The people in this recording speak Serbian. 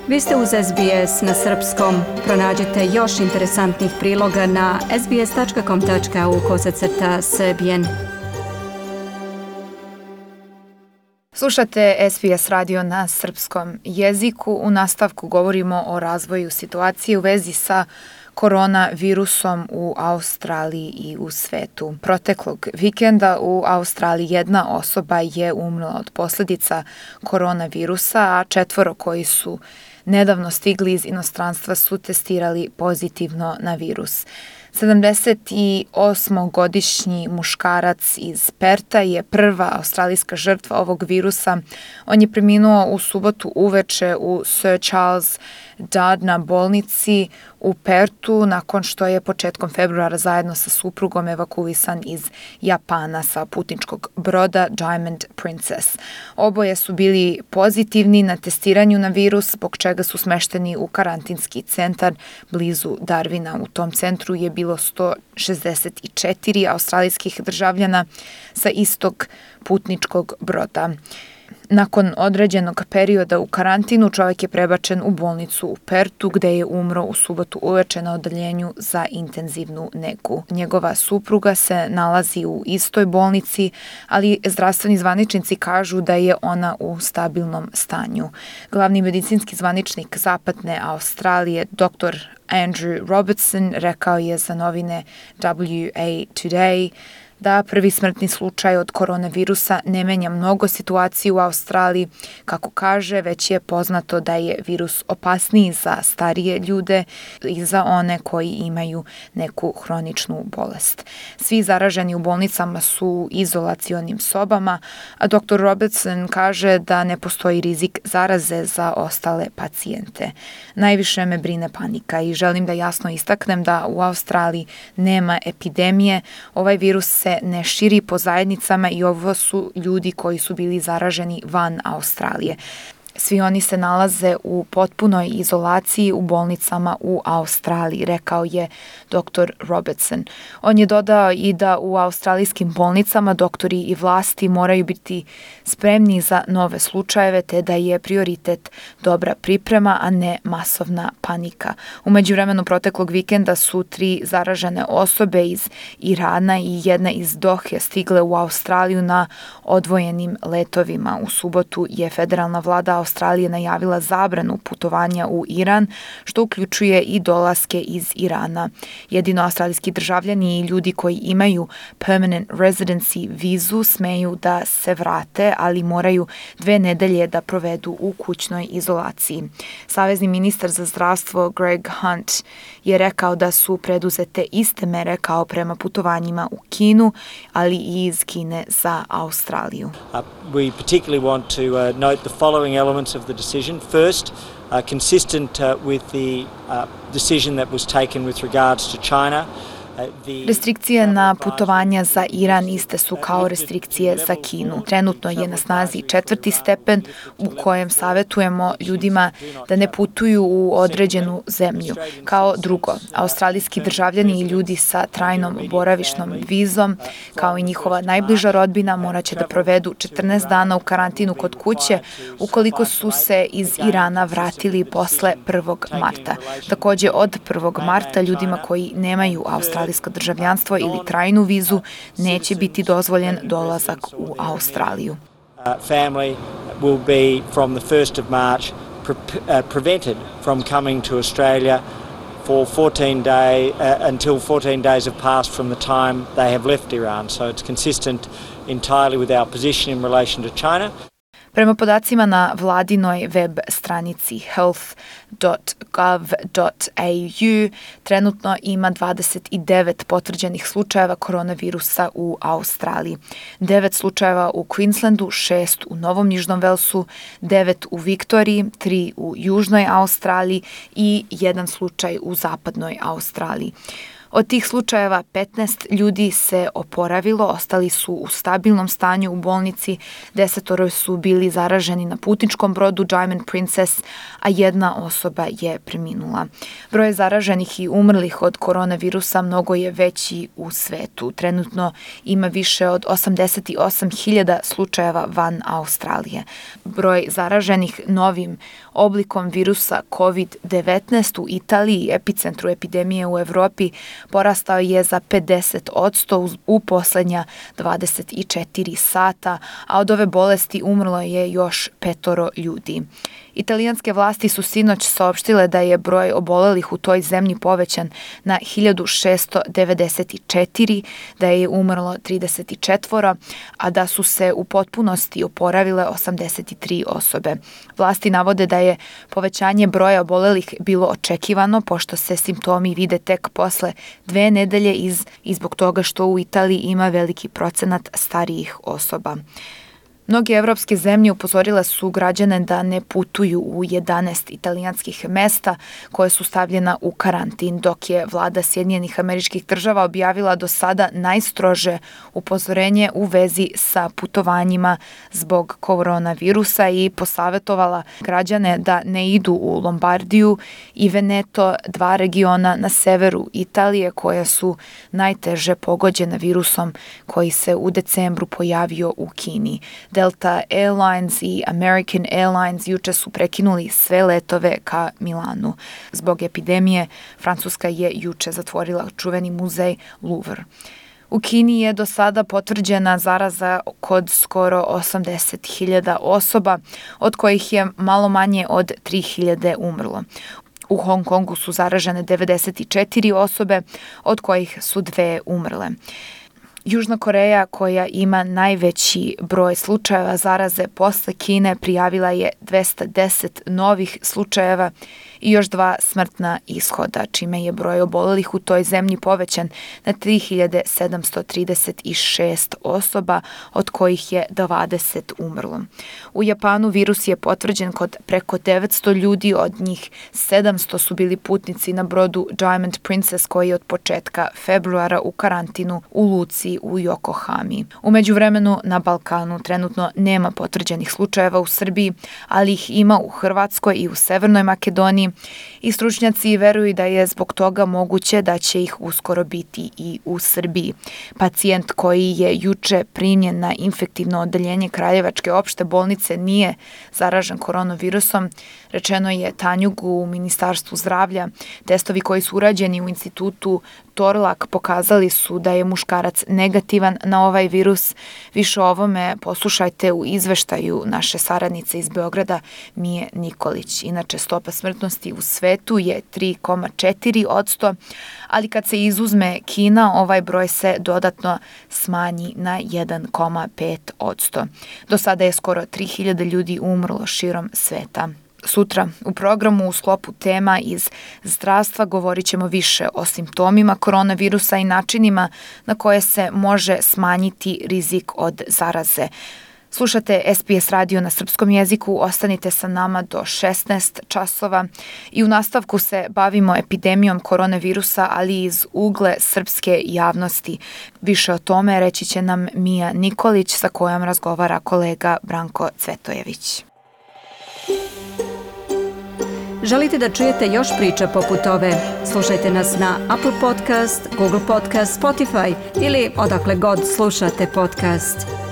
Vi ste uz SBS na srpskom. Pronađite još interesantnih priloga na sbs.com.au/srbijen. Slušate SBS radio na srpskom jeziku. U nastavku govorimo o razvoju situacije u vezi sa koronavirusom u Australiji i u svetu. Proteklog vikenda u Australiji jedna osoba je umrla od posljedica koronavirusa, a 4 koji su nedavno stigli iz inostranstva su testirali pozitivno na virus. 78-godišnji muškarac iz Perta je prva australijska žrtva ovog virusa. On je preminuo u subotu uveče u Sir Charles Darna bolnici u Pertu nakon što je početkom februara zajedno sa suprugom evakuisan iz Japana sa putničkog broda Diamond Princess. Oboje su bili pozitivni na testiranju na virus, zbog čega su smešteni u karantinski centar blizu Darwina. U tom centru je bilo 164 australijskih državljana sa istog putničkog broda. Nakon određenog perioda u karantinu, čovjek je prebačen u bolnicu u Pertu, gde je umro u subotu uveče na odeljenju za intenzivnu negu. Njegova supruga se nalazi u istoj bolnici, ali zdravstveni zvaničnici kažu da je ona u stabilnom stanju. Glavni medicinski zvaničnik Zapadne Australije, dr. Andrew Robertson, rekao je za novine WA Today da prvi smrtni slučaj od koronavirusa ne menja mnogo situaciju u Australiji. Kako kaže, već je poznato da je virus opasniji za starije ljude i za one koji imaju neku hroničnu bolest. Svi zaraženi u bolnicama su u izolacionim sobama, a dr. Robertson kaže da ne postoji rizik zaraze za ostale pacijente. Najviše me brine panika i želim da jasno istaknem da u Australiji nema epidemije. Ovaj virus se ne širi po zajednicama i ovo su ljudi koji su bili zaraženi van Australije. Svi oni se nalaze u potpunoj izolaciji u bolnicama u Australiji, rekao je dr. Robertson. On je dodao i da u australijskim bolnicama doktori i vlasti moraju biti spremni za nove slučajeve, te da je prioritet dobra priprema, a ne masovna panika. U međuvremenu proteklog vikenda su 3 zaražene osobe iz Irana i jedna iz Dohe stigle u Australiju na odvojenim letovima. U subotu je federalna vlada Australije najavila zabranu putovanja u Iran, što uključuje i dolaske iz Irana. Jedino australijski državljani i ljudi koji imaju permanent residency vizu smeju da se vrate, ali moraju 2 nedelje da provedu u kućnoj izolaciji. Savezni ministar za zdravstvo Greg Hunt je rekao da su preduzete iste mere kao prema putovanjima u Kinu, ali i iz Kine za Australiju. We particularly want to note the following elements of the decision. First, consistent with the decision that was taken with regards to China. Restrikcije na putovanja za Iran iste su kao restrikcije za Kinu. Trenutno je na snazi 4. stepen u kojem savjetujemo ljudima da ne putuju u određenu zemlju. Kao drugo, australijski državljani i ljudi sa trajnom boravišnom vizom, kao i njihova najbliža rodbina, morat će da provedu 14 dana u karantinu kod kuće ukoliko su se iz Irana vratili posle 1. marta. Također od 1. marta ljudima koji nemaju australijsko državljanstvo ili trajnu vizu neće biti dozvoljen dolazak u Australiju. Family will be from the 1st of March prevented from coming to Australia for 14 days until 14 days have passed from the time they have left Iran. So it's consistent entirely with our position in relation to China. Prema podacima na vladinoj web stranici health.gov.au, trenutno ima 29 potvrđenih slučajeva koronavirusa u Australiji. 9 slučajeva u Queenslandu, 6 u Novom Južnom Velsu, 9 u Viktoriji, 3 u Južnoj Australiji i 1 slučaj u Zapadnoj Australiji. Od tih slučajeva 15 ljudi se oporavilo, ostali su u stabilnom stanju u bolnici, 10 su bili zaraženi na putničkom brodu Diamond Princess, a 1 osoba je preminula. Broj zaraženih i umrlih od koronavirusa mnogo je veći u svetu. Trenutno ima više od 88.000 slučajeva van Australije. Broj zaraženih novim oblikom virusa COVID-19 u Italiji, epicentru epidemije u Evropi, porastao je za 50% u poslednja 24 sata, a od ove bolesti umrlo je još 5 ljudi. Italijanske vlasti su sinoć saopštile da je broj obolelih u toj zemlji povećan na 1694, da je umrlo 34, a da su se u potpunosti oporavile 83 osobe. Vlasti navode da je povećanje broja obolelih bilo očekivano, pošto se simptomi vide tek posle 2 nedelje i zbog toga što u Italiji ima veliki procenat starijih osoba. Mnoge evropske zemlje upozorile su građane da ne putuju u 11 italijanskih mesta koje su stavljena u karantin, dok je vlada Sjedinjenih Američkih Država objavila do sada najstrože upozorenje u vezi sa putovanjima zbog koronavirusa i posavetovala građane da ne idu u Lombardiju i Veneto, 2 regiona na severu Italije koja su najteže pogođena virusom koji se u decembru pojavio u Kini. Delta Airlines i American Airlines juče su prekinuli sve letove ka Milanu. Zbog epidemije, Francuska je juče zatvorila čuveni muzej Louvre. U Kini je do sada potvrđena zaraza kod skoro 80.000 osoba, od kojih je malo manje od 3.000 umrlo. U Hong Kongu su zaražene 94 osobe, od kojih su 2 umrle. Južna Koreja, koja ima najveći broj slučajeva zaraze posle Kine, prijavila je 210 novih slučajeva i još 2 smrtna ishoda, čime je broj obolelih u toj zemlji povećan na 3.736 osoba, od kojih je 20 umrlo. U Japanu virus je potvrđen kod preko 900 ljudi, od njih 700 su bili putnici na brodu Diamond Princess koji je od početka februara u karantinu u luci u Yokohami. U međuvremenu na Balkanu trenutno nema potvrđenih slučajeva u Srbiji, ali ih ima u Hrvatskoj i u Severnoj Makedoniji i stručnjaci veruju da je zbog toga moguće da će ih uskoro biti i u Srbiji. Pacijent koji je juče primljen na infektivno odeljenje Kraljevačke opšte bolnice nije zaražen koronavirusom, rečeno je Tanjugu u Ministarstvu zdravlja. Testovi koji su urađeni u institutu Torlak pokazali su da je muškarac negativan na ovaj virus. Više o ovome poslušajte u izveštaju naše saradnice iz Beograda Mije Nikolić. Inače, stopa smrtnosti u svetu je 3,4%, ali kad se izuzme Kina, ovaj broj se dodatno smanji na 1,5%. Do sada je skoro 3.000 ljudi umrlo širom sveta. Sutra u programu u sklopu tema iz zdravstva govorit ćemo više o simptomima koronavirusa i načinima na koje se može smanjiti rizik od zaraze. Slušate SBS radio na srpskom jeziku, ostanite sa nama do 16 časova i u nastavku se bavimo epidemijom koronavirusa, ali iz ugle srpske javnosti. Više o tome reći će nam Mija Nikolić, sa kojom razgovara kolega Branko Cvetojević. Želite da čujete još priča poput ove? Slušajte nas na Apple Podcast, Google Podcast, Spotify ili odakle god slušate podcast.